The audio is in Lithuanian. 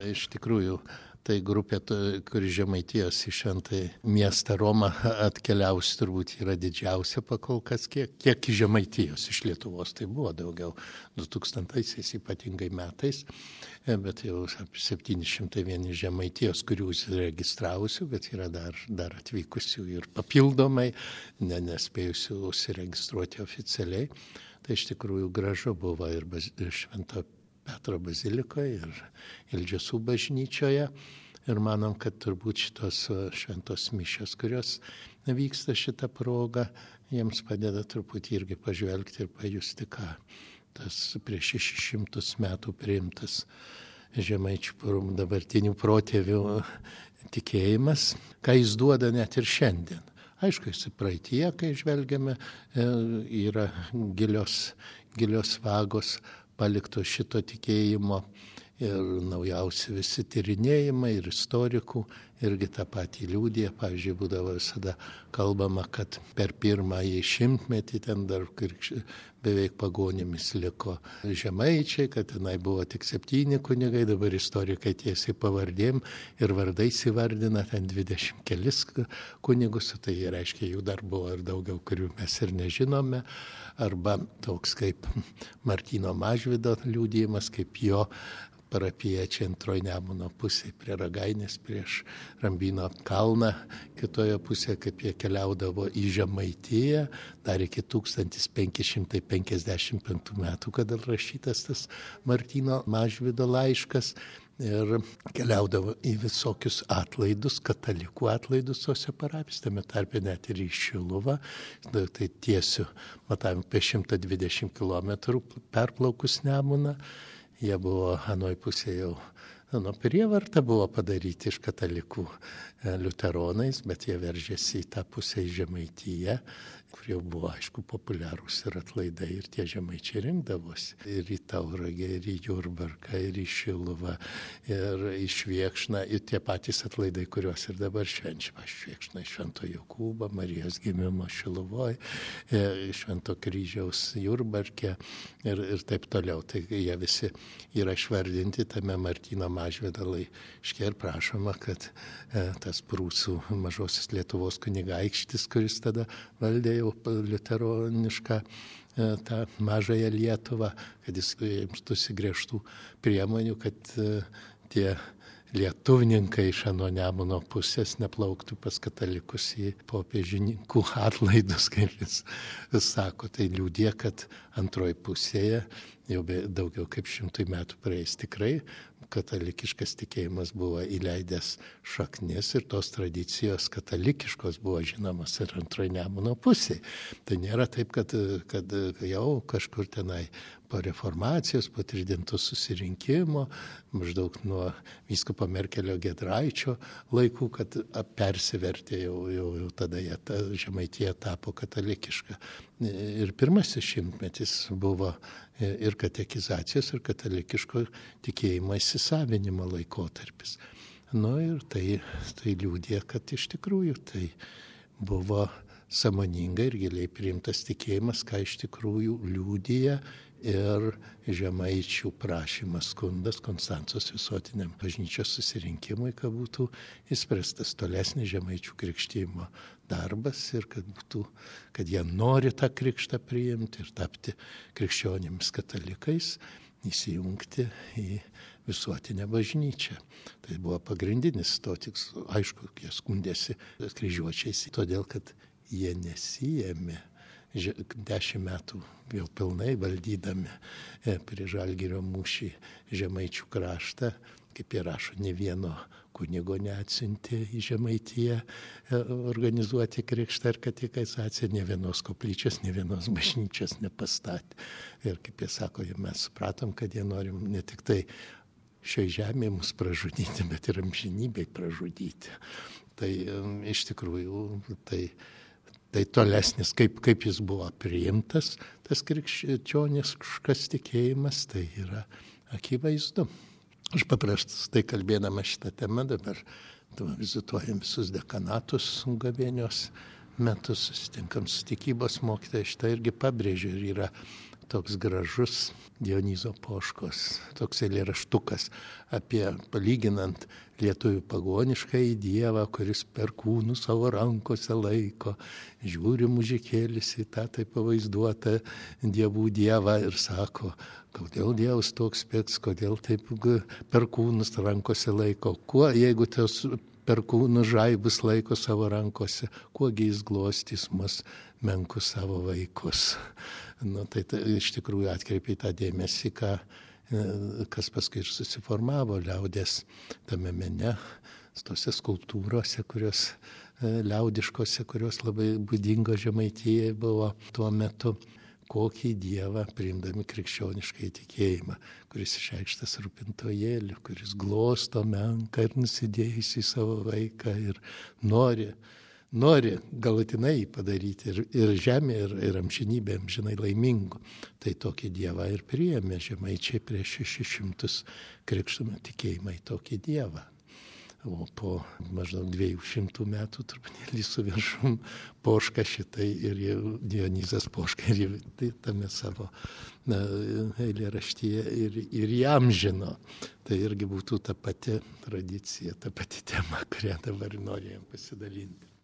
Iš tikrųjų, tai grupė, kuri Žemaitijos į šventąjį miestą Romą atkeliaus, turbūt yra didžiausia pakol kas, kiek iš Žemaitijos, iš Lietuvos tai buvo daugiau 2000-aisiais ypatingai metais, bet jau 701 Žemaitijos, kurių užsiregistravusių, bet yra dar atvykusių ir papildomai, nespėjusių užsiregistruoti oficialiai. Tai iš tikrųjų gražu buvo ir Švento Petro bazilikoje ir Ildžiasų bažnyčioje. Ir manom, kad turbūt šitos šventos mišios, kurios vyksta šitą progą, jiems padeda truputį irgi pažvelgti ir pajusti, ką tas prieš 600 metų priimtas žemaičių dabartinių protėvių tikėjimas, ką jis duoda net ir šiandien. Aišku, jis praeitie, kai žvelgiame, yra gilios vagos palikto šito tikėjimo ir naujausi visi tyrinėjimai ir istorikų irgi tą patį liudija. Pavyzdžiui, būdavo visada kalbama, kad per pirmąjį šimtmetį ten dar beveik pagonimis liko žemaičiai, kad tenai buvo tik 7 kunigai, dabar istorikai tiesiai pavardėm ir vardais įvardina ten 20 kelis kunigus, tai reiškia, jų dar buvo ir daugiau, kurių mes ir nežinome. Arba toks kaip Martyno Mažvydo liudijimas, kaip jo parapiečiai antroji Nemuno pusėje prie Ragainės, prieš Rambyno kalną, kitoje pusėje, kaip jie keliaudavo į Žemaitiją, dar iki 1555 metų, kada rašytas tas Martyno Mažvydo laiškas. Ir keliaudavo į visokius atlaidus, katalikų atlaidus tose parapijose, tame tarpe net ir į Šiluvą. Tai tiesiu matavim apie 120 km perplaukus Nemuną. Jie buvo anoj pusėje jau prievarta buvo padaryti iš katalikų liuteronais, bet jie veržėsi į tą pusę į Žemaitiją, kur jau buvo, aišku, populiarūs ir atlaidai, ir tie žemaičiai rinkdavosi. Ir į Tauragę, ir į Jurbarką, ir į Šiluvą, ir į Švėkšną, ir tie patys atlaidai, kuriuos ir dabar švenčiama. Švėkšna, Švento Jokūbo, Marijos gimimo Šiluvoje, Švento Kryžiaus Jurbarke ir taip toliau. Tai jie visi yra išvardinti tame Martyno Mažvydo laiške ir prašoma, kad tas prūsų mažosios Lietuvos kunigaikštis, kuris tada valdė jau liuteronišką tą mažąją Lietuvą, kad jis imtųsi griežtų priemonių, kad tie lietuvninkai iš ano Nemuno pusės neplauktų pas katalikus į popiežininkų atlaidus, kaip jis sako. Tai liudija, kad antroji pusėje jau daugiau kaip 100 metų praeis tikrai katalikiškas tikėjimas buvo įleidęs šaknis ir tos tradicijos katalikiškos buvo žinomas ir antroji Nemuno pusėje. Tai nėra taip, kad jau kažkur tenai po reformacijos, po Tridento susirinkimo, maždaug nuo vyskupo Merkelio Giedraičio laikų, kad persivertė jau tada Žemaitija tapo katalikiška. Ir pirmasis šimtmetis buvo ir katekizacijos, ir katalikiško tikėjimo įsisavinimo laikotarpis. Ir tai liudija, kad iš tikrųjų tai buvo sąmoningai ir giliai priimtas tikėjimas, ką iš tikrųjų liudija ir žemaičių prašymas, skundas Konstancos visuotiniam bažnyčios susirinkimui, kad būtų įspręstas tolesnis žemaičių krikštijimo darbas ir kad jie nori tą krikštą priimti ir tapti krikščionimis katalikais, įsijungti į visuotinę bažnyčią. Tai buvo pagrindinis to tikslo. Aišku, jie skundėsi kryžiuočiais, todėl kad jie nesijėmė 10 metų jau pilnai valdydami prie Žalgirio mūšį Žemaičių kraštą, kaip jie rašo, ne vieno kunigo neatsiuntė į Žemaitiją organizuoti krikštą ir katekizaciją, ne vienos koplyčios, ne vienos bažnyčios nepastatė. Ir kaip jie sako, mes supratom, kad jie norim ne tik tai šioje žemėje mus pražudyti, bet ir amžinybėj pražudyti. Tai iš tikrųjų tai tolesnis, kaip jis buvo priimtas, tas krikščioniškas tikėjimas, tai yra akivaizdu. Aš paprastai kalbėdama šitą temą dabar vizituojam visus dekanatus gavėnios metus, susitinkam su tikybos mokytojai, šitą irgi pabrėžiu ir yra toks gražus Dionizo Poškos, toks eilėraštukas apie palyginant lietuvių pagoniškąjį dievą, kuris perkūnų savo rankose laiko, žiūri mužikėlis į tą taip pavaizduotą dievų dievą ir sako, kodėl dievas toks spėks, kodėl taip perkūnus rankose laiko, kuo jeigu tos perkūnų žaibus laiko savo rankose, kuogi jis glostys mus menkus savo vaikus. Tai iš tikrųjų atkreipia tą dėmesį, kas paskui ir susiformavo liaudės tame mene, tose skulptūrose, kurios liaudiškose, kurios labai būdingo Žemaitijai buvo tuo metu, kokį dievą priimdami krikščioniškai tikėjimą, kuris išreikštas rūpintojėliu, kuris glosto menką ir nusidėjusį savo vaiką ir nori galutinai padaryti ir žemė, ir amžinybė amžinai laimingų. Tai tokį dievą ir priėmė Žemaičiai prieš 600 krikštų tikėjimą į tokį dievą. O po maždaug 200 metų truputėlį su viršum Poška šitai ir Dionizas Poška ir tame savo eilėraštyje ir įamžino. Tai irgi būtų ta pati tradicija, ta pati tema, kurią dabar norėjom pasidalinti.